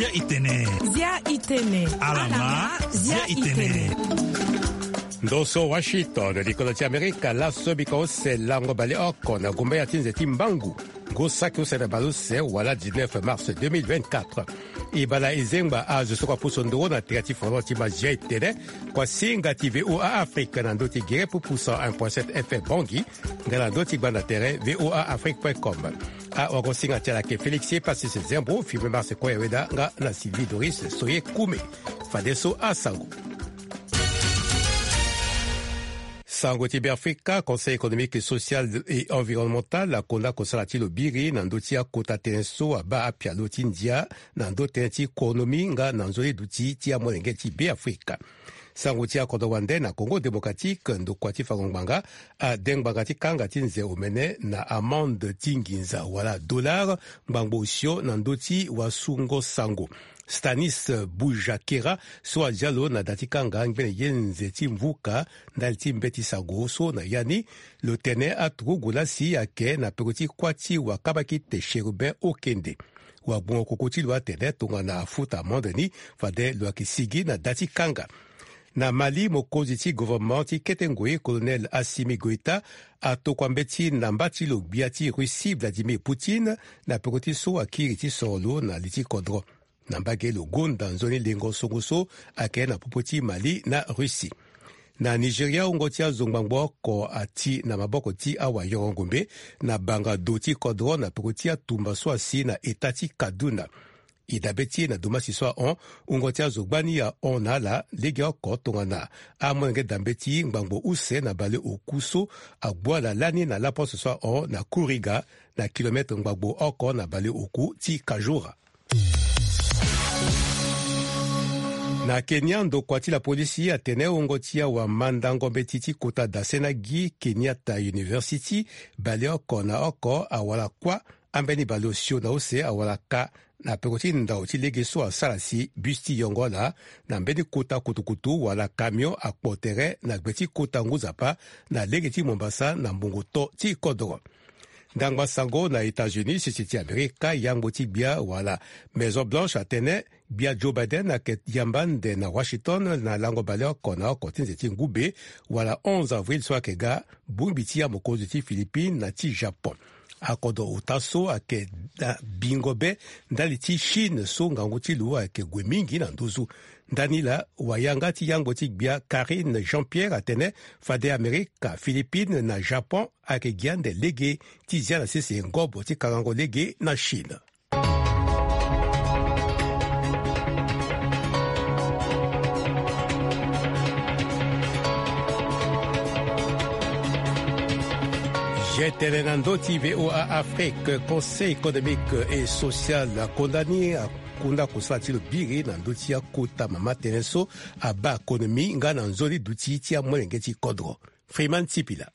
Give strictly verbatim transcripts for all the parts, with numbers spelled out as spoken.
Zia itene. Zia itene. Alama. Zia itene. Ndo so Washington, likolo ti Amerika, laso bika use lango baleoko na gumba ya ti nze ti mbangu. Ngu saki use na baleuse wala dix-neuf mars deux mille vingt-quatre. E bala e zengba azo so kua puso nduru na tere ti folon ti ma Zia itene, kua singa ti V O A Afrique na ndö ti gere pupu cent un point sept F M Bangui, nga na ndö ti gbanda tere V O A Afrique point com. Awagosinga ti ala ayeke Félix Pacis Zembo, filme Marse Koya Weda nga na Sylvie Doris Soye Kume. Fadeso asango. Sango ti Beafrika, Conseil économique, social et environnemental akonda kosala ti lo biri na ndö ti akota tënë so abaa apialo ti ndia na ndö tënë ti konomi nga na nzoni duti ti amolenge ti Beafrika. Sango ti akodro wande na Congo Démocratique, ndokua ti fango ngbanga ade ngbanga ti kanga ti nze omene na amende ti nginza wala dollar ngbangbo osio na ndö ti wasungo sango. Stanis Bujakera so azia lo na da ti kanga ngbene ye nze ti mvuka ndali ti mbeti sango so na ya ni, lo tene aturugu lasi ayeke na peko ti kuâ ti wakabakite Chérubin Okende. Wagbongo koko ti lo atene tongana afuta amende ni, fade lo yeke sigi na da ti kanga. Na Mali, mokonzi ti gouvernement ti kete ngoi, Colonel Assimi Goïta, atokua mbeti na mba ti lo gbia ti Russie, Vladimir Poutine, na peko ti so akiri ti soro lo na li ti kodro. Na mbage lo gonda nzoni lengo songo so ayeke na popo ti Mali na Russie. Na Nigeria, wungo ti azo ngbangbo oko ati na maboko ti awayoro ngombe na banga do ti kodro na peko ti atumba so asi na eta ti Kaduna. E dabe ti e na domasi so ahon, wungo ti azo gbani ahon na ala legeoko tongana amolenge da mbeti ngbangbo use na baleoku so agbu ala lani na laposte so ahon na Kuriga, na kilometre ngbangbo oko na baleoku ti Kajura. Na Kenya, ndokua ti lapolisi atene wungo ti awamandango mbeti ti kota dase na gi Kenyatta University, baleoko na oko awara kuâ, ambeni baleosio na use awara ka na peko ti ndau ti lege so asara si bus ti yongo ala na mbeni kota kutukutu wala camion akpo tere na gbe ti kota Ngunzapa na lege ti Mombasa na mbongo to ti kodoro. Ndangba sango na États-Unis, sese ti Amerika, yangbo ti gbia wala Maison Blanche atene gbia Joe Biden ayeke yamba ande na Washington na lango baleoko na oko ti nze ti ngu be wala onze avril so ayeke ga, bongbi ti amokonzi ti Philippines na ti Japon. Akodro ota so ayeke na bingo be ndali ti Chine so ngangu ti lo ayeke gue mingi na nduzu. Ndani laa, wayanga ti yangbo ti gbia Karine Jean-Pierre atene fade Amerika, Philippines na Japon ayeke gi ande lege ti zia na sese ngobo ti kangango lege na Chine. Zia itene na ndö ti V O A Afrique, Conseil économique et social akonda ni, akonda kosala ti lo biri na ndö ti akota mama tënë so abaa konomi nga na nzoni duti ti amolenge ti kodro. Freeman Sipila.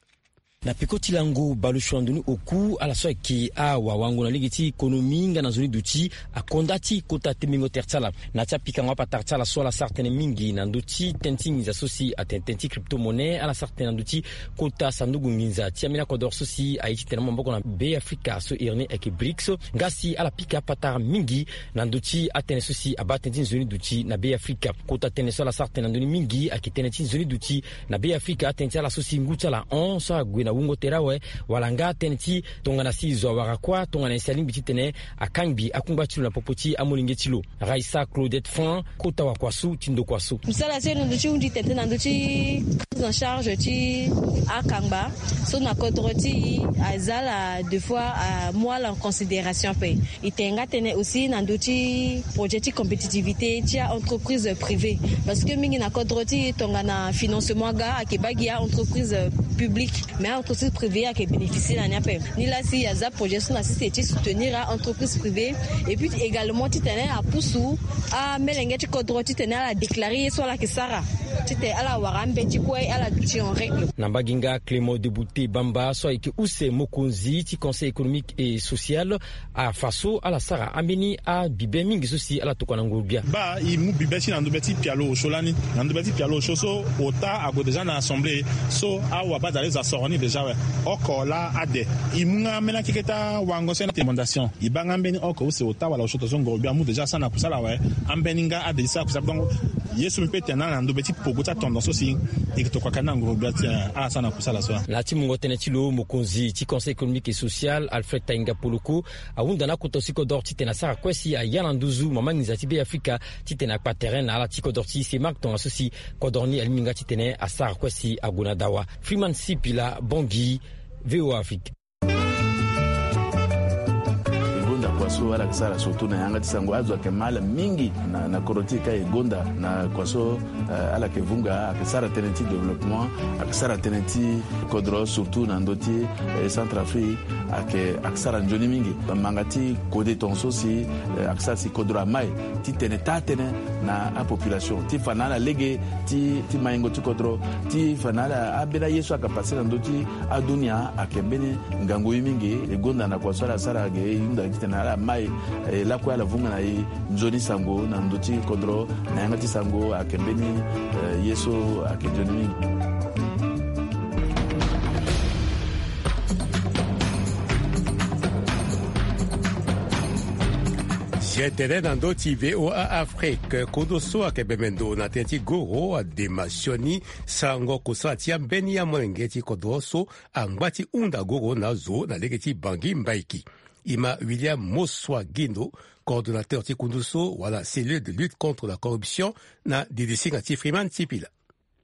Na peko ti lango baleosio na ndo ni oku, ala so ayeke awawango na lege ti konomi nga na nzoni duti akonda ti kota tembingo tere ti ala. Na ya ti apikango apatara ti ala so ala sara tënë mingi na ndö ti tënë ti nginza so si atene tënë ti crypto-monnaie, ala sara tënë na ndö ti kota sanduku nginza ti ambeni akodoro so si aye titene amaboko na Be Afrika so iri ni ayeke brics. Nga si ala pika apatara mingi na ndö ti atënë so si abaa tënë ti nzoni duti na Be Afrika. Kota tënë so ala sara tënë na ndö ni mingi ayeke tënë ti nzoni duti na Be Afrika, atënë ti ala so si ngu ti ala hon so ague na wungo tere awe, wala nga atënë ti tongana si zo awara kuâ, tongana nyen si alingbi titene akangbi akungba ti lo na popo ti amolenge ti lo. Raissa Claudette Franc, kota wakua so ti ndokua so. Mosala ti e na ndö ti hunzi tene na ndö ti prise en charge ti akangba so na kodro ti e aza ala deux fois amu ala en considération ape. E tene nga tënë aussi na ndö ti projet ti compétitivité ti a-entreprise privée, parce que mingi na kodro ti e tongana financement aga ayeke baa gi a-entreprise publique, mais a-entreprise privée ayeke bénéficier na ni ape. Nilaa si aza projet so na sese ti soutenir a-entreprise privée, et puis également titene apusu amelenge ti kodro titene ala déclarer ye so ala yeke sara. Titene ala wara ambeti kue ala duti en règle. Na mbage nga Clément Debouté Bamba so ayeke use mokonzi ti Conseil économique et social, afa so ala sara ambeni abibe mingi so si ala tokua na nguru-gbia. Baa e mu bibe ti na ndobe ti pialo osio lani. Na ndobe ti pialo osio so, ota ague déjà na assemblée. So awabadale zo asoro ni déjà awe. Oko laa ade. E mu nga ambeni akeke ti awango so na recommandation. E baa nga ambeni oko use ota wala osio tongaso nguru-gbia amu déjà asara na kusala awe. Ambeni nga ade ti sara kusala. Donc ye so mbi pe tene na ndobe ti pogo ti atendance so si e yeke tokua ka na nguru-gbia ti ala sara na kusala so. Na ya ti mungo tënë ti lo, mokonzi ti Conseil économique et social Alfred Tainga Poloko ahunda na akota so ti kodro titene asara kue si aya na nduzu mama nginza ti Beafrika titene akpa terrain na ala ti kodro ti semak tongaso si kodro ni alingbi nga titene asara kue si ague na dawa. Freeman Sipila Bongi, V O A Afrique. E gonda kua so ala yeke sara surtout na yanga ti sango. Azo ayeke ma ala mingi na, na kodro ti e ka e gonda na kua so, eh, ala yeke vunga, ayeke sara tënë ti développement, ayeke sara tënë ti kodro surtout na ndö ti, eh, Centrafrique, ayeke, ayeke sara nzoni mingi. Manga ti kode tongaso si, eh, ayeke sara si kodro amai titene taa tënë na apopulation ti fa na ala lege ti, ti maingo ti kodro, ti fa na ala ambeni aye so ayeke passe na ndö ti adunia ayeke mbeni ngangu ye mingi. E gonda na kua so ala sara ge, e hunda titene ala mai, eh, lakue ala vunga na e nzoni sango na ndö ti kodro na yanga ti sango ayeke mbeni, eh, ye so ayeke nzoni mingi. Zia tene na ndö ti V O A Afrique, kondo so ayeke bembe ndo na tënë ti goro adema sioni sango kosala ti ambeni amolenge ti kodro so angba ti hunda goro na azo na lege ti Bangui Mbaiki. E ma William Moswa Guindo, coordonnateur ti kundu so wala cellule de lutte contre la corruption, na didisinga ti Freeman Sipila.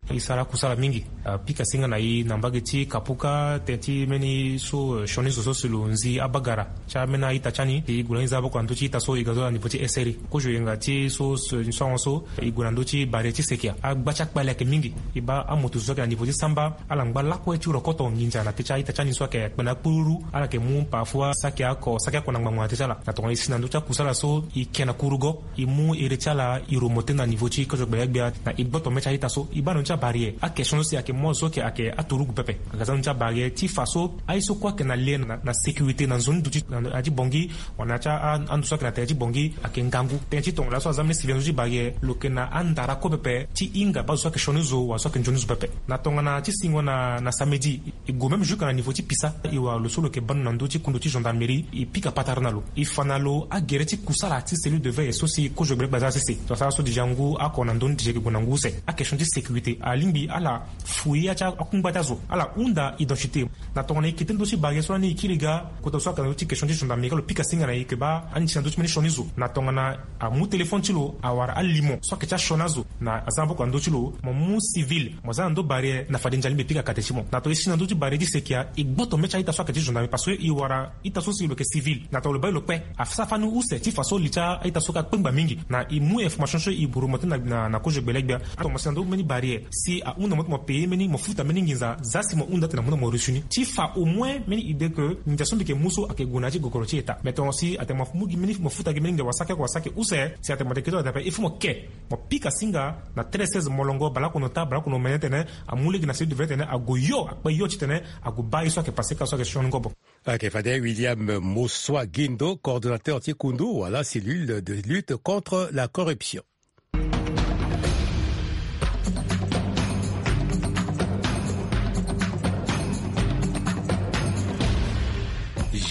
E sara kusala mingi. Apika singa na e na mbage ti Kapuka, tënë ti mbeni so, eh, sioni zo so si lo nzi abagara ti ambeni a-ita ti ani. E gue na ni za aboko na ndö ti ita so e ga zo na niveau ti S R I. Kozo yenga ti so, so, so ahon so, e gue na ndö ti barrière ti sekia. Agba ti akpale ayeke mingi. E baa amoto zo so ayeke na niveau ti samba, ala ngba lakue ti rokoto nginza na tënë ti a-ita ti ani so ayeke kpe na akpururu. Ala yeke mu parfois saki oko, saki oko na ngbangbo na tënë ti ala. Na tongana e si na ndö ti akusala so, e ke na kurugo. E mu ere ti ala e remonté na niveau ti kozo gbelegbia na e gboto me ti a-ita so. E baa na ndö ti abarrière. Akestion so si ayeke mu azo so ayeke, ayeke aturugu pepe. Aga za na ndö ti abarrière ti fa so aye so kue ayeke na lien na, na sécurité na nzoni duti na, na ya ti Bangui, wala na ya ti a, a, ando so ayeke na tere ti Bangui ayeke ngangu. Tënë ti tongaso aza mbeni civil na ndö ti barrière, lo yeke na andara kue pepe ti hinga baa zo so ayeke sioni zo wala so ayeke nzoni zo pepe. Na tongana ti singo na, na samedi, e gue même jusque na niveau ti pisa. E wara lo so lo yeke bando na ndö ti kundu ti gendarmerie, e pika patara na lo. E fa na lo agere ti kusala ti cellule de veille so si kozo gbelegbia aza sese. Lo asara so déjà ngu oko na ndö ni déjà e yeke gue na ngu use. Akestion ti sécurité, alingbi ala fouiller ya ti akungba ti azo, ala hunda identité. Na tongana e kete ndö ti barrière so lani e kiri ga, kota so ayeke na ndö ti question ti gendarmerie, lo pika singa na e yeke baa ani si na ndö ti mbeni sioni zo. Na tongana amu téléphone ti lo, awara alimo so ayeke ti asioni azo, na aza maboko na ndö ti lo, mo mu civil, mo za na ndö barrière, na fade nzali mbi pika kate ti mo. Na tongana e si na ndö ti barrière ti sekia, e gboto me ti a-ita so ayeke ti gendarmerie, parce que e wara ita so si lo yeke civil. Na tongana lo baa e lo kpe, asara fani use ti fa so li ti a-ita so ka kpengba mingi. Na e mu information so e remonté na, na, na kozo gbelegbia. Tongana mo si na ndö ti mbeni barrière, si ahunda mo ti mo payer mbeni, mo futa mbeni nginza, za si mo hunda titene mo hunda mo reçu ni. Ti fa au moins mbeni idée que nginza so mbi yeke mu so ayeke gue na ya ti gogoro ti État. Mais tongana si atene mo mu gi mbeni, mo futa gi mbeni nginza wala saki oko wala saki use, si atene mo yeke kete wala dape, il faut mo ke. Mo pika singa na treize seize molongo, baleoko na ota, baleoko na omene titene amu lege na cellule de veille titene ague yo, akpe yo titene ague baa ye so ayeke passé ka so ayeke sioni ngobo. Ayeke fade William Moswa Guindo, coordonnateur ti kundu wala cellule de lutte contre la corruption.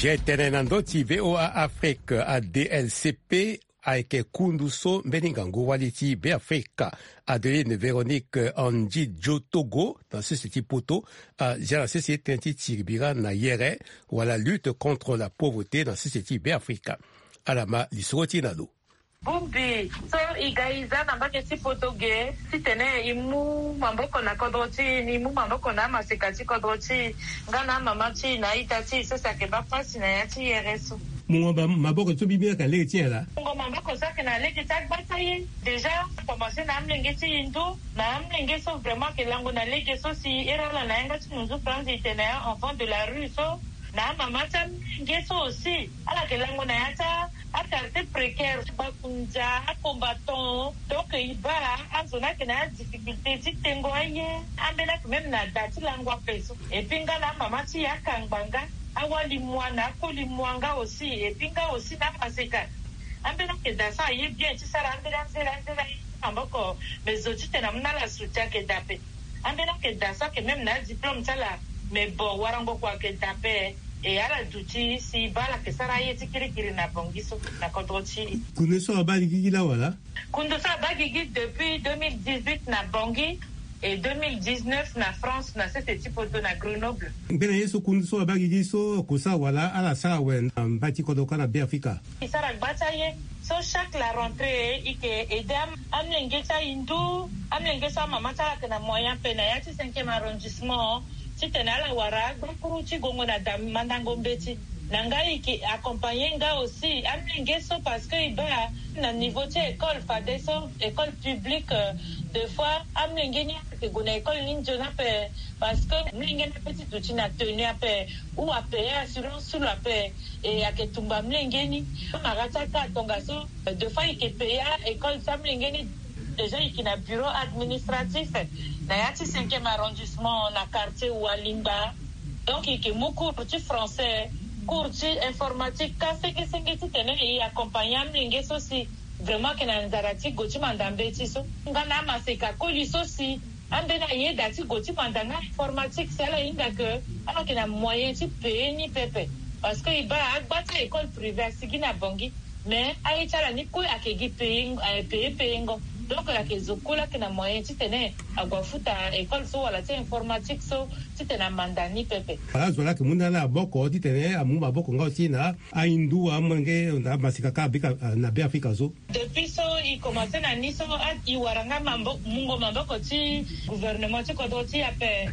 Zia tënë na ndö ti V O A Afrique, A D L C P, ayeke kundu so mbeni ngangu wali ti Beafrika, Adeline Véronique Andji Djotogo, na sese ti poto, azia na sese tënë ti tiri bira na yere, wala lutte contre la pauvreté na sese ti Beafrika. Ala ma lisoro ti e na lo. Bongbi so e ga e za na mbage ti poto ge, titene e mu maboko na kodro ti e, ni mu maboko na amaseka ti kodro ti e, nga na amama ti e na a-ita ti e so si ayeke baa pasi na ya ti yere so. Mungo ba maboko so bibi ayeke na lege ti nyen laa? Mungo maboko so ayeke na lege ti agbata ye. Déjà, a commencé na amolenge ti e ndo, na amolenge so vraiment ayeke lango na lege so si ere ala na yanga ti nunzu franzi e tene a enfant de la rue so, na amama ti amolenge so aussi, ala yeke lango na ya ti a Quartier précaire, bakundia, combattant. Donc, il va, azo na ke na difficulté, ti tengo aye. Ambela que même na da ti lango ape so. Et puis, nga na mama ti ya kangba nga. Awali mwa na akoli mwa nga aussi. Et puis, nga aussi na maseka. Ambela que da so aye bien, ti sara ambela nzela, nzela, maboko. Mais zo ti tena muna la soutien que da pe. Ambela que da so que même na diplôme ti ala. Mais bon, warango kua que da pe. E ala duti si baa ala ke sara aye ti kirikiri na Bangui so, na kodro ti. Kundu so abaa gi gi laa wala? Kundu so abaa gi gi depuis deux mille dix-huit na Bangui et deux mille dix-neuf na France, na sese ti poto na Grenoble. Mbeni ye so kundu so abaa gi gi so oko sara wala ala sara awe na mbai ti kodro kâ na Beafrika? E sara gba ti aye. So chaque la rentrée, e ke aide am-, amolenge ti ahindu, amolenge so amama ti ala ayeke na moyen ape na ya ti cinquième arrondissement, titene ala wara agbakuru ti gongo na da mandango mbeti. Na nga e ke accompagner nga aussi amolenge so, parce que e baa na niveau ti école fadeso, école publique, euh, des fois amolenge ni ayeke gue na école ni nzoni ape, parce que amolenge ni ape ti duti na tenue ape, ou apayer assurance so lo ape. E ayeke tumba amolenge ni. Amara ti aka tongaso, euh, des fois e ke payer école ti amolenge ni. Déjà e ke na bureau administratif na ya ti cinquième arrondissement, na quartier Walingba. Donc e ke mu cours ti français, cours ti informatique, ka senge senge titene e accompagner amolenge so si vraiment ayeke na nzara ti gue ti manda mbeti so. Nga na amaseka koli so si ambeni ayeda ti gue ti manda nga informatique, si ala hinga ke ala yeke na moyen ti payer ni pepe. Parce que e baa agba ti école privée asigi na Bangui. Mais aye ti ala ni kue ayeke gi payer, eh, payer, payer ngo. Donc ayeke zo kue laa ayeke na moyen titene ague afuta école so wala ti informatique so titene amanda ni pepe. Ala zo laa ayeke mu na ala maboko titene amu maboko nga aussi na ahindu, amolenge na amaseka kâ abika, ah, na Beafrika so. Depuis so e commencer na ni so, ah, e wara nga mabo-, mungo maboko ti gouvernement ti kodro ti e ape.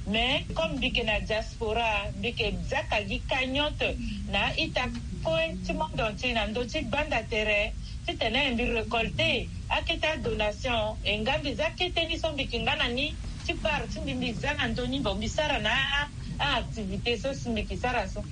Mais comme mbi yeke na diaspora, mbi yeke zia ka gi cagnotte na a-ita kue ti monde entier na ndö ti gbanda tere, titene mbi récolter akete adonation, e nga mbi zia akete ni so mbi yeke nga na ni ti part ti mbi, mbi zia na ndö ni, bon, mbi sara na a, a-activité so si mbi yeke sara so.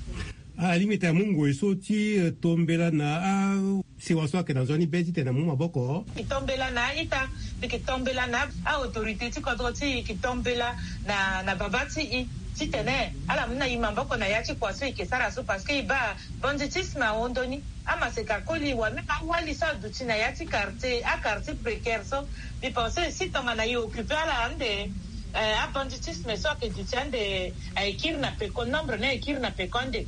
Alingbi tene amu ngoi so ti, eh, tombela na a sewa so ayeke na nzoni be titene amu maboko. E tombela na a-ita, e yeke tombela na a-autorité ti kodro ti e, e yeke tombela na, na babâ ti e titene ala mu na e maboko na ya ti kua so e yeke sara so, parce que e baa banditisme ahon ndö ni. Amaseka koli wala même awali so aduti na ya ti quartier, a-quartier précaire so. Mbi pense si tongana e occuper ala ande, eh, abanditisme so ayeke duti ande, eh, ayeke kiri na peko, nombre ni ayeke kiri na peko ande.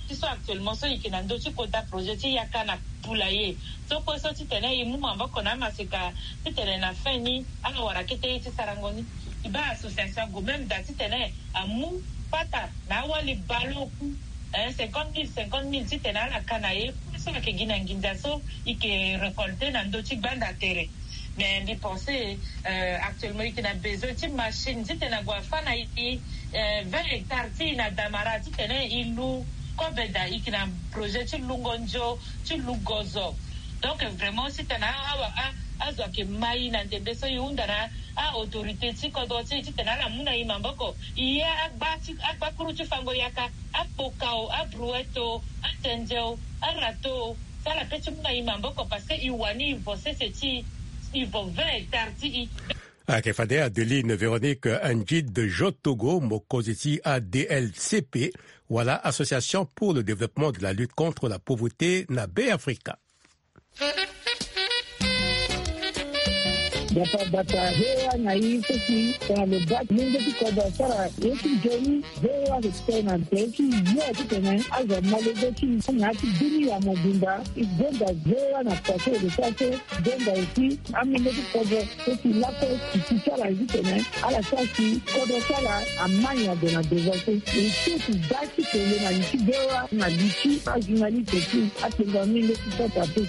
Ti so actuellement so e yeke na ndö ti kota projet ti yaka na poulailler so kue so titene e mu maboko na amaseka titene na fin ni ala wara kete ye ti sarango ni. E baa association ague même da titene amu pata na awali baleoku, eh, cinquante mille, cinquante mille titene ala ka na ye. Kue so ayeke gi na nginza so e yeke récolter na ndö ti gbanda tere. Mais mbi pense, euh, actuellement e yeke na besoin ti machine titene ague afâ na e, euh, vingt hectares ti e na Damara titene e lu kobe da. E yeke na projet ti lungo nzo, ti lu gozo. Donc vraiment titene a, a, a, azo ayeke ma e na ndembe so e hunda na a-autorité ti kodro ti e titene ala mu na e maboko. E ye agba ti, agbakuru ti fango yaka, akpokao, abrouette o, atendze o, arato o, so ala pe ti mu na e maboko, parce que e wani e vo sese ti e, e vo vingt hectares ti e. Ayeke fade Adeline Véronique Ndjid Jotogo, mokonzi ti A D L C P, wala Association pour le développement de la lutte contre la pauvreté na Beafrika. Gbata gbata V O A na e so si tongana lo baa ti mungo ti kodro asara ye ti nzoni, V O A ayeke tene na tere ti yo titene azo amolenge ti e na ya ti dunia mobimba. E gonda V O A na kua so e lo sara so, gonda aussi amolenge ti kodro so si lakue ti ti ti ala titene ala sara si kodro ti ala ama nyen ade na devant so. E so si baa ti tene na li ti V O A na li ti ajournaliste ti atengo amolenge ti kota pe.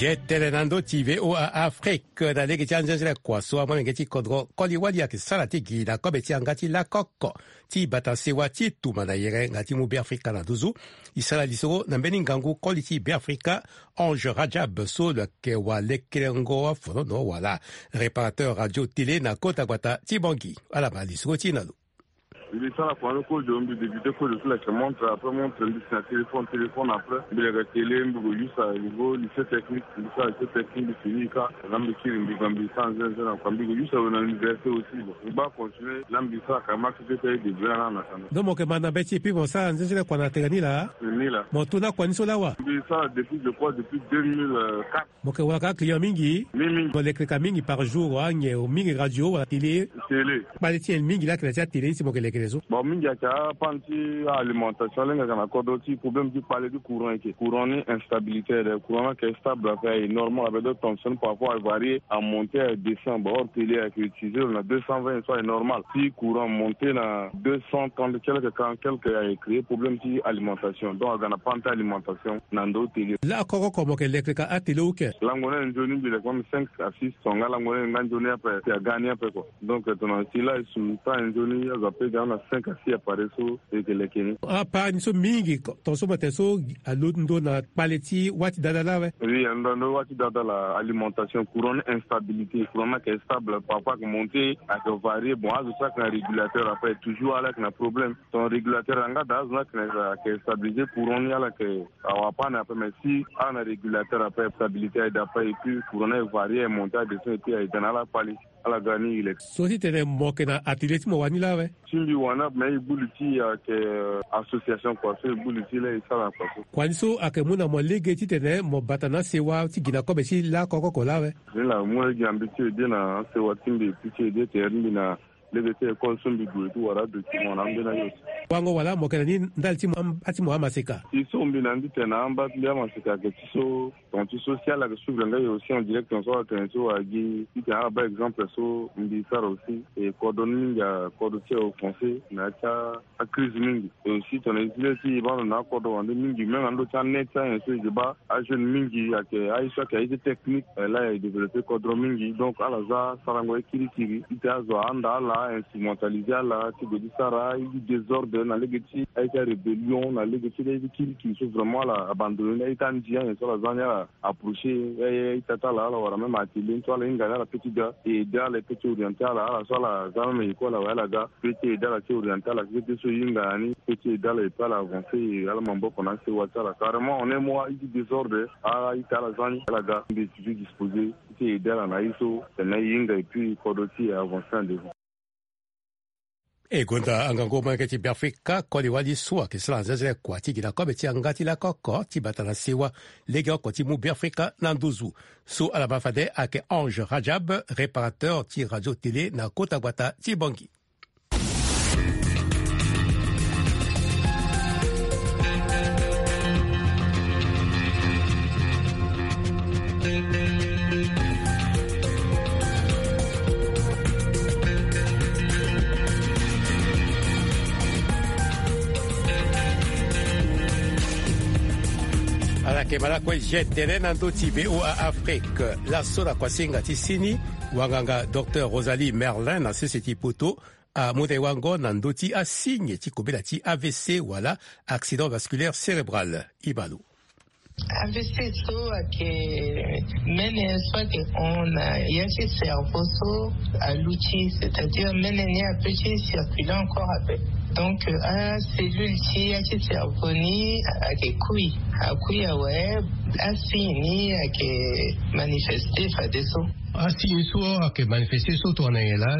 Zetene na ndö ti V O A Afrique na lege ti anzenze kua so amolenge ti kodro koli wali ayeke sara ti gi na kobe ti yanga ti lakoko ti bata sewa ti tuma na yere nga ti mu Beafrika na nduzu. E sara lisoro na mbeni ngangu koli ti Beafrika, Ange Rajab so lo yeke wa lekerengo afonono wala réparateur radio télé na kota gbata ti Bangui. Ala ma lisoro ti e na lo. Mbi sara kua ni kozo, mbi débuté kozo ti leke montre, après montre mbi si na téléphone, téléphone après mbi leke télé, mbi ko use à niveau lycée technique, mbi sara lycée technique, mbi fini ka. Na mbi kiri mbi ga mbi sara nzenze na kua, mbi ko use awe na université aussi. Bon, mbi baa continuer la, mbi sara ka marché ti ete aye débrouiller na na kana. Donc mo yeke ma na be ti e puis mo sara nzenze na kua na tene ni laa? Ni laa. Mo to na kua ni so laa wa? Mbi sara depuis, je crois, depuis deux mille quatre. Mo yeke wara ka client mingi? Mingi mingi. Mo leke ka mingi par jour wa? Nyen mingi, radio wala télé? Télé. Kpale ti nyen mingi laa ayeke na ya ti atélé ni si mo yeke leke so? Bon, mingi ayeke apane ti alimentation, lenge ayeke na kodro ti problème ti kpale ti courant, ayeke courant ni instabilité, ayeke courant ni ayeke stable, ape aye normal, ape do tension par rapport à varier, à monter, à descendre. Bon, or télé ayeke utiliser lo na deux cent vingt, so aye normal. Si courant monter na deux cent trente quelque, quarante quelque, aye créer problème ti alimentation. Donc aga na panne ti alimentation na ndo télé. Laa koko oko mo yeke leke ka atélé ou ke? Lango ni aye nzoni mbi leke même cinq à six tonga, lango ni aye nga nzoni ape, si aga ni ape kua. Donc tongana si laa e su ta nzoni azo ape ga na cinq à six appareil so e yeke leke ni. Apart ni so mingi, tonga so mo tene so alondo na kpale ti wâ ti dada laa awe? Oui, alondo na ndo wâ ti dada laa, alimentation, courant ni instabilité, courant ni ayeke stable, parfois ayeke monter, ayeke varier. Bon, azo so ayeke na régulateur ape toujours ala yeke na problème. Ton régulateur anga daa azo ni ayeke na, ayeke stabiliser courant ni, ala yeke awa apane ape, mais si ala na régulateur ape, stabilité aye daa ape, et puis courant ni aye varier, aye monter, aye descendre, et puis aye ga na ala kpale. Ala ga ni e leke. So ti tene mo yeke na atelier ti mo wani laa awe? Ti mbi wani ape, mais e gbu li ti e ayeke, euh, association kua so e gbu li ti laa e sara na kua so. Kua ni so ayeke mu na mo lege ti tene mo bata na asewa ti gi na kobe ti laa koko oko laa awe? Ni laa mu lege na mbi ti ede na asewa ti mbi, e pi ti ede tere ti mbi na lege ti école so mbi gue ti wara adocument na ambeni aye so. Wango wala mo yeke na ni ndali ti mo amba ti mo amaseka? Si so mbi na ni ti tene na amba ti mbi amaseka ayeke ti so, tonga ti so si ala yeke suivre nga e aussi en direct, tonga so ala tene so agi ti tene ala baa exemple so mbi sara aussi. E kodro ni mingi akodro ti e offensé na ya ti acrise mingi. E aussi tongana e zi le ti e baa ndo na akodro wande mingi, même na ndo ti anet ti anyen so e yeke baa ajeune mingi ayeke aye so ayeke aye ti technique, eh, laa e développé kodro mingi. Donc ala za sarango ye kirikiri ti tene azo ahanda ala, instrumentalisé ala ti gue ti sara aye ti désordre na lege ti aye ti arébellion, na lege ti aye ti kirikiri so vraiment ala abandonné ni. Aye ti andi anyen so ala za ni, ala approché aye, aye ti ata ala, ala wara même atelier ni so ala hinga ni, ala peut ti ga e aidé ala, e peut ti orienté ala, ala so ala za même école awe ala ga. Pe ti aidé ala ti orienté ala, pe ti so e hinga na ni, pe ti aidé ala, et puis ala avancé, e ala maboko na asewa ti ala. Carrément, en un mois, aye ti désordre, a, aye ti ala za ni, ala ga, mbi toujours disposé ti aidé ala na ye so tene e hinga, et puis kodro ti e avancé en devant. E gonda angangu molenge ti Beafrika, koli wali so ayeke sara nzenze kua ti gi na kobe ti yanga ti lako oko ti bata na sewa, lege oko ti mu Beafrika na nduzu. So ala ma fade ayeke Ange Rajab, réparateur ti radio télé na kota gbata ti Bangui. Ala yeke ma lakue je tere na ndö ti V O A Afrique. Laso na kuasinga ti sini, wanganga Docteur Rosalie Merlin na sese ti poto amu tere wango na ndö ti asigne ti kobela ti A V C wala accident vasculaire cérébral. Ibalo. A V C so ayeke mene so ayeke hon na ya ti cerveau so aluti, c'est-à-dire mene ni apeut ti circuler encore ape. Donc acellule ti ya ti cerveau ni ayeke kui, akui awe. Asigne ni ayeke manifesté fadeso. Asigne so ayeke manifesté so tongana nyen laa?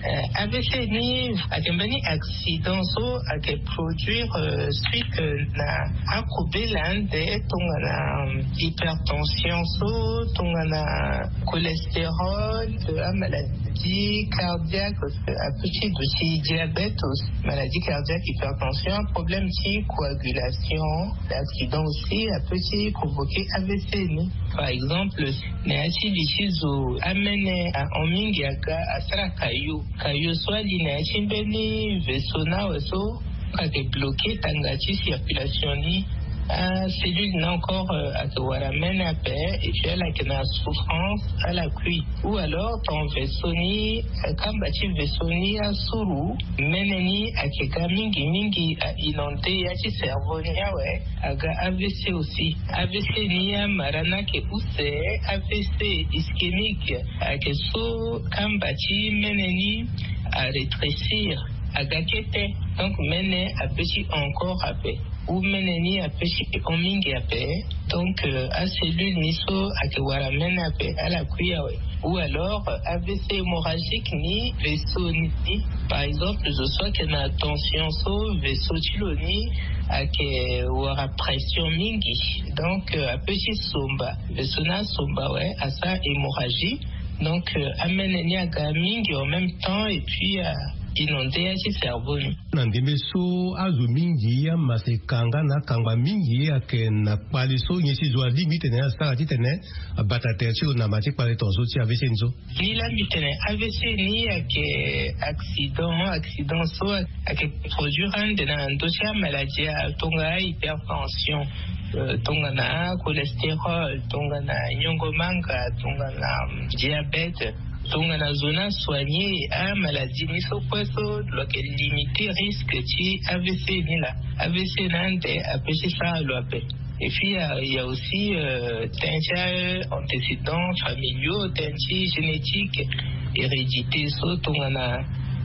Eh, A V C ni ayeke mbeni accident so ayeke produire, euh, suite, euh, na akobela ande tongana, euh, hypertension so, tongana cholestérol, euh, amaladie cardiaque, euh, apeut ti duti diabète aussi, maladie cardiaque, hypertension, problème ti coagulation. Accident aussi apeut ti provoquer A V C ni. Par exemple, na ya ti li ti zo amene ahon mingi aga asara kayo. Kayo so ali na ya ti mbeni vaisseau ni awe so, ayeke bloqué tanga ti circulation ni. Acellule ni encore, euh, ayeke wara mene ape, et puis ala yeke na souffrance, ala kui. Ou alors ton vaisseau ni, euh, kamba ti vaisseau ni asuru, mene ni ayeke ga mingi mingi, a inondé ya ti cerveau ni awe. Aga A V C aussi. A V C ni amara ni ayeke use, A V C ischémique, ayeke so kamba ti mene ni arétrécir. Aga kete. Donc mene ape ti encore ape. Ou mene ni ape ti hon mingi ape. Donc euh, acellule ni so ake wara mene ape ala kui awe. Ou alors euh, avc hémorragique ni vaisseau ni. Par exemple zo so ake na tension so vaisseau ti lo ni ake wara pression mingi. Donc euh, ape ti somba. Vaisseau ni asomba we asa hémorragie. Donc euh, amene ni aga mingi en même temps et puis euh, inonde ya ti cerveau ni. Na ndembe so azo mingi amase kanga na akangba mingi ake na kpale so nyen si zo alingbi titene asara titene abata tere ti lo na ma ti kpale tongaso ti avc ni so. Ni la mbi tene avc ni ake accident accident so ake produire ande na ndö ti amaladie ya tonga hypertension, euh, tongana cholestérol, tongana nyongo manga, tongana diabète, tongana zo ni asoigner amaladie ni so kue so lo yeke limiter risque ti avc ni la. Avc ni ande ape ti sara lo ape. Et puis il y a, il y a aussi euh, tënë ti antécédents familiaux, tënë ti génétique, hérédité so tongana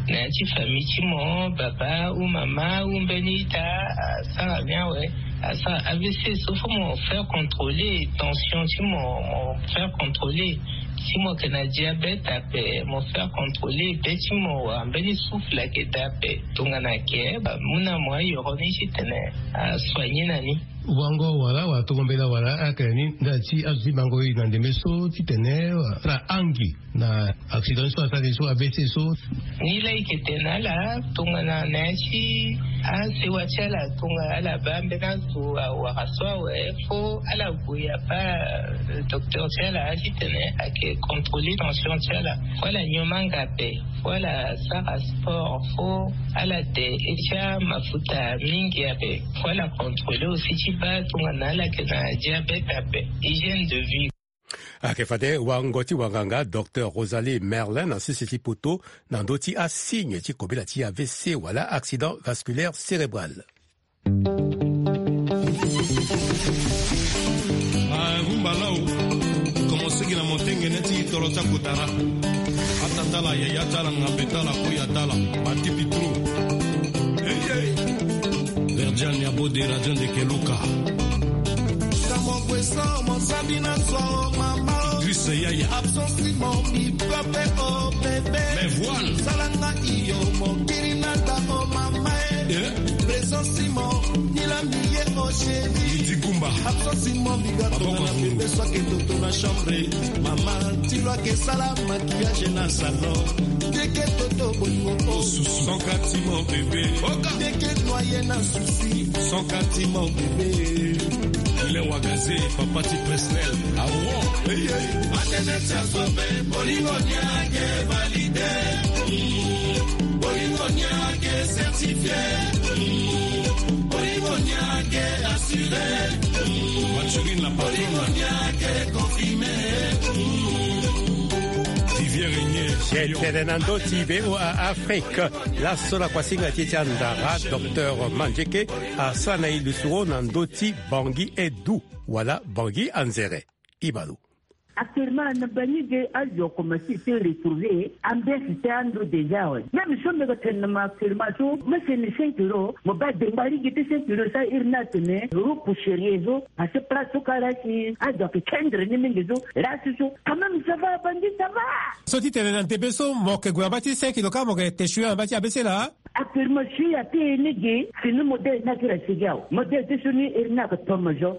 na ya ti famille ti mo baba ou mama ou mbeni ita asara ni awe. Asara avc so fo mo faire contrôler tension ti mo mo faire contrôler. Si mo yeke na diabète ape mo faire contrôler be ti mo wala mbeni souffle ayeke daa ape. Tongana ayeke ba mu na mo ayoro ni titene asoigner na ni. Wango wala wala tongo mbela wala ayeke na ni nda ti azo ti bango e na ndembe so titene asara angi na accident so asara so avc so. Ni la ike tene ala tongana na ya ti asewa ti ala tongana ala baa mbeni azo awara so awe fo ala gue abaa docteur ti ala titene ayeke contrôler tension ti ala. Fo ala nyon manga ape. Fo ala sara sport fo ala de e ti amafuta mingi ape. Fo ala contrôler aussi ti baa tongana ala yeke na diabète ape. Hygiène de vie. Ayeke fade wango ti wanganga docteur Rosalie Merlin na sese ti poto na ndö ti asigne ti kobela ti avc wala accident vasculaire cérébral. Rumba lao. Commencé gi na montengene ti tolo ti akotara. Ata tala yaya tala ngape tala koya tala batipitro. Verdian ya bode radion de keluka. Kamo kweso mosadi na so mama. Idris yaya. Absence mon mi pape o bébé. Mais voilà. Salanga iyo mokiri na ta o mama. Présence mon ni la mi ye o chéri. Absence mon mi gato na bebe so ake toto na chambre. Mama ti lo ake sala maquillage na salon. Teke toto bolingo o susu. Sans kati mon bébé. Teke noye na souci. Sans kati mon bébé. Il est wagaze papa ti Presnel. Awo. Atene ti asobe bolingo ni ake valide. Bolingo ni ake certifié. Bolingo ni ake assuré. Maturine la patronne. Bolingo ni ake confirmé. Vivière Régnier. Tene na ndö ti voa Afrique. Laso na kuasinga ti e ti andara docteur Mandieke asara na e lisoro na ndö ti Bangui Edou wala Bangui Anzere. Ibalo. Actuellement na bangi ge azo akomanse ti retrouver ambiance ti ando déjà awe. Même so mbi yeke tene na mo actuellement so mo seni cinq euros mo baa dengba lege ti cinq euros so iri ni atene euro poussière so. Parce que place so kara si azo ayeke kendre ni mingi so. Lasi so quand même ça va bangi ça va. So ti tene na ndembe so mo yeke gue na mba ti cinq euros kâ mo yeke te choui na mba ti abc laa. Actuellement si ya ti e ni ge si ni modèle ni akiri asigi awe modèle ti so ni iri ni ayeke tomo zo.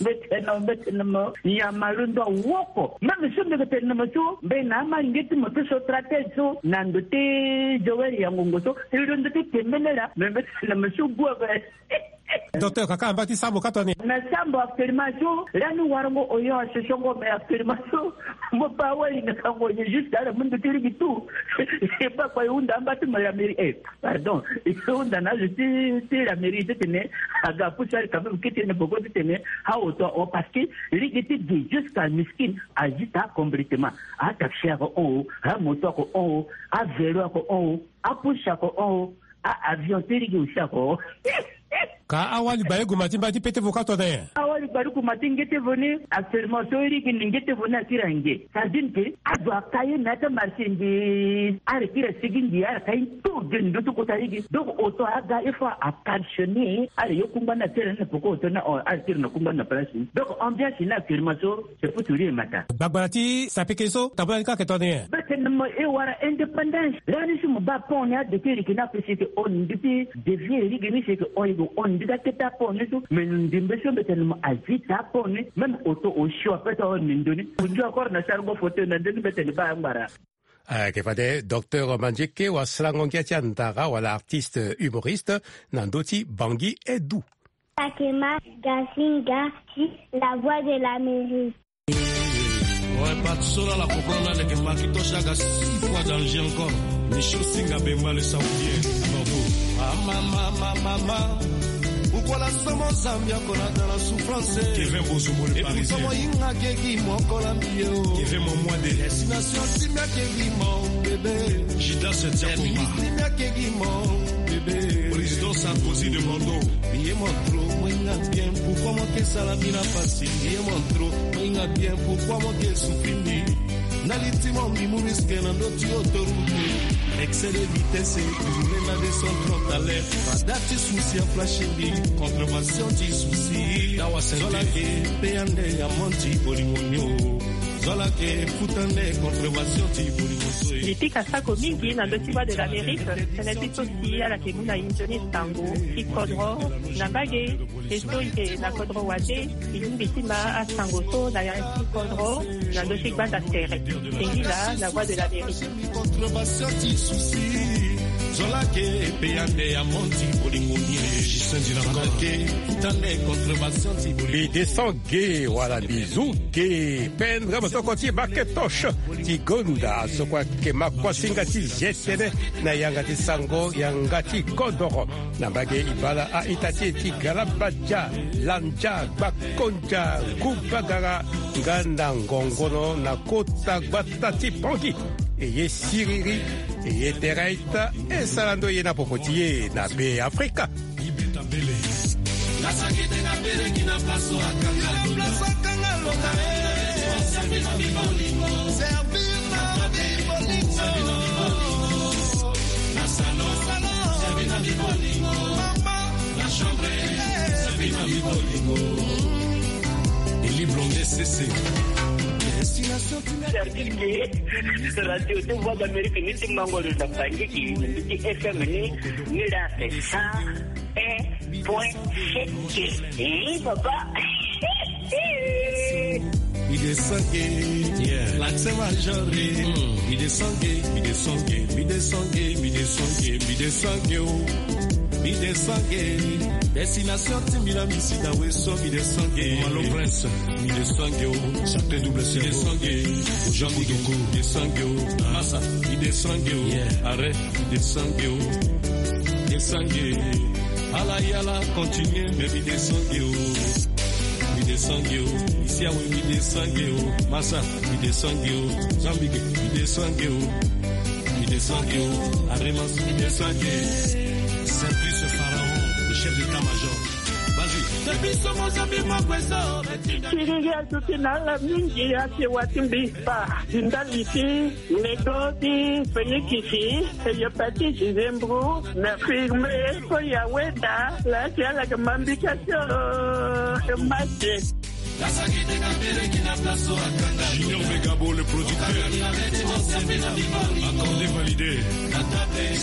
Mbetene mbetene mo nyama londo awoko même so mbi yeke tene na mo so mbe na amalenge ti mo ti so tratele so na ndo ti joel ya ngongo so e londo ti tembene laa me mbetene mo so gu ape. Docteur kaka amba ti sambo ka toni. Na sambo actuellement so lani warango oyo asosongo mais actuellement so mo pa wali na kango ye juste ala mundu ti ligi tout. E pa kpa e hunda amba ti mo la mairie eh pardon e hunda na azo ti ti la mairie ti tene aga pusu ali quand même kete na boko ti tene aoto o parce que ligi ti gi jusqu'à miskin ajuta complètement. Ataxi ako on o amoto ako on o avelo ako on o apusu ako on o a avion ti ligi aussi ako. Ka awali baye guma ti mba ti pete vo ka tone. Gbaruku ma ti ngete voni, actuellement so iri gi ni ngete voni akiri ange. Sardine ke azo aka ye na ata marché ndi. Ara kiri asigi ndi ara ka ye to ge ndo to kota iri gi. Donc auto aga il faut a caltionner. Ara yo kungba na tere na poko auto na ara kiri na kungba na place. Donc ambiance na actuellement so c'est pour tout le matin. Gbagbara ti sapeke so tabula ni ka ke toni. Bete na mo e wara indépendance. Rani si mo ba pon ni a de kiri ki na pesi ke on ndi pi. Devie iri gi ni si ke on yi go on ndi ka keta pon ni so. Mais ndimbe so bete na mo a vita pon ni. Même auto osio ape to ni ndoni. Osio akora na sargo foto na ndoni bete ni ba ngbara. Ayeke fade docteur Mandieke wa sarango ngia ti andara wala artiste humoriste na ndö ti Bangui Edou. Takema Gasinga ti La Voix de l'Amérique. Oe, parti so la la comprendre la leke Macintosh aga six fois dans le jeu encore. Michel Singa Bemba le Saoudien. Bravo. Ah, mama, mama, mama. Pourquoi la somo Zambia qu'on a dans la souffrance? Kevin Bozobo le Parisien. Inga kegi mo kola mbio. Kevin Momwade. Destination simia kegi mo bébé. Jidas Tiakoma. Simia kegi mo bébé. Président Sarkozy de Mondo. Ye montro moinga bien pourquoi mo ke sala mbi na pasi. Ye montro moinga bien pourquoi mo ke souffrir mbi. Na liti mo mbi mu risque na ndö ti autoroute. Excès de vitesse, rouler na deux cent trente à l'heure. Radar ti souci a flash mbi, contravention ti souci. Dawa sente. Zola ke pe ande ya monti bolingo nio. Zola ke futa nde contravention ti bolingo so e. Mbi pika sako mingi na ndö ti Voix de l'Amérique. Tënë ti so si ala ke mu na inzo ni sango ti kodro na mbage. E so e yeke na kodro wande, e lingbi ti ma asango so na ya ti kodro na ndö ti gbanda tere. Singila na Voix de l'Amérique. Contre bastion ti souci. Zola ke pe ande ya monti bolingo ni e. Justin Dinakor. Zola ke tande contre bastion ti bolingo. Mbi descend ge wala mbi zu ge. Pendre mosoko ti Macintosh ti gonda so kue ayeke ma kuasinga ti zia tënë na yanga ti sango yanga ti kodoro. Na mbage e bala a-ita ti e ti galabadia, landia, gbakondia, ngu bagara, nga na ngongono na kota gbata ti Bangui. E ye siriri, e ye tere a-ita, e sara ndo ye na popo ti e na Be Afrika. Eli Blonde Sese. Radio de Voix d'Amérique ni ti mango lo na Bangui ki ni ti F M ni ni la sa. Un point sept. Eh, papa. Mi descend ge. Yeah. L'accent majeur. Mm. Mi descend ge, mi descend ge, mi descend ge, mi descend ge, mi descend ge, oh. Mi descend ge. Destination ti mbi na mi si na weso mi descend ge. Malo Prince. Mi descend ge, oh. Chacun double cerveau. Mi descend ge. Jean Boudoukou. Mi descend ge, oh. Massa. Mi descend ge, oh. Yeah. Arrête. Mi descend ge, oh. Descend ge. Ala yala, continue, mais mi descend ge, oh. Mi descend ge, oh. Ici, ah oui, mi descend ge, oh. Massa, mi descend ge, oh. Zambike, mi descend ge, oh. Mi descend ge, oh. Aremas, mi descend ge. Simplice Pharaon, le chef d'état-major. Vas-y. Depuis ce moment, ça fait moi, quoi, ça? Kingi atuti na ala mingi ake wati mbi pa. Zinda liti, nego ti fenikisi, hépatite, zembro, na firme, ko ya weda, la ti ala ke mambika tio, mate. Junior Megabo, le producteur. Accordé, validé.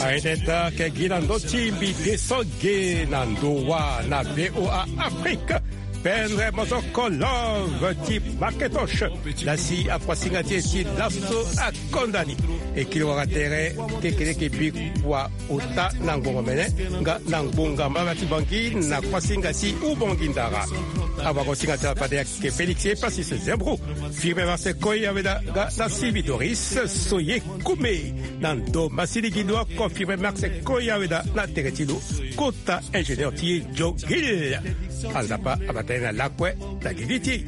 Aideta ke gi na ndö ti mbi descend ge na ndo wa na V O A Afrique. Pendre mosoko love ti Macintosh. Lasi akuasinga ti e ti laso akonda ni. E kiri wara tere kekereke bi kua ota na ngbongo mene nga na ngbonga mbaba ti Bangui na kuasinga ti Ubangui ndara. Awagosinga ti ala fade ayeke Félix Epasis Zembro. Firme Marseille Koya Weda nga na Sylvie Doris Soye Koumé. Na ndo masili gi ndo oko Firme Marseille Koya Weda na tere ti lo. Kota ingénieur ti e Joe Gill. Anzapa abata ye na lakue na gigi ti e.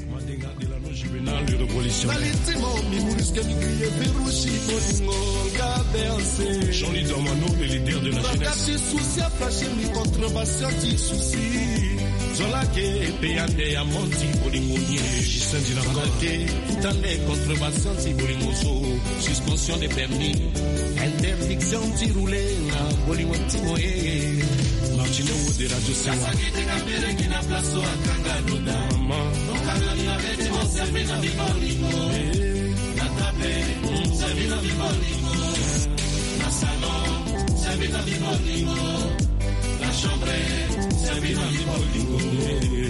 Jean-Louis Dormano, le leader de la jeunesse. Ti souci a fâché mi contre bastion ti souci. Zola ke pe ande ya monti bolingo nie. Justin Dinakola ke tutande contre bastion ti bolingo so. Suspension de permis. Interdiction ti rouler na bolingo ti moye. Martino Wo de Radio Sewa. Maman.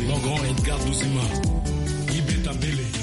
Mon grand Edgar Douzima, Ibeta Bele.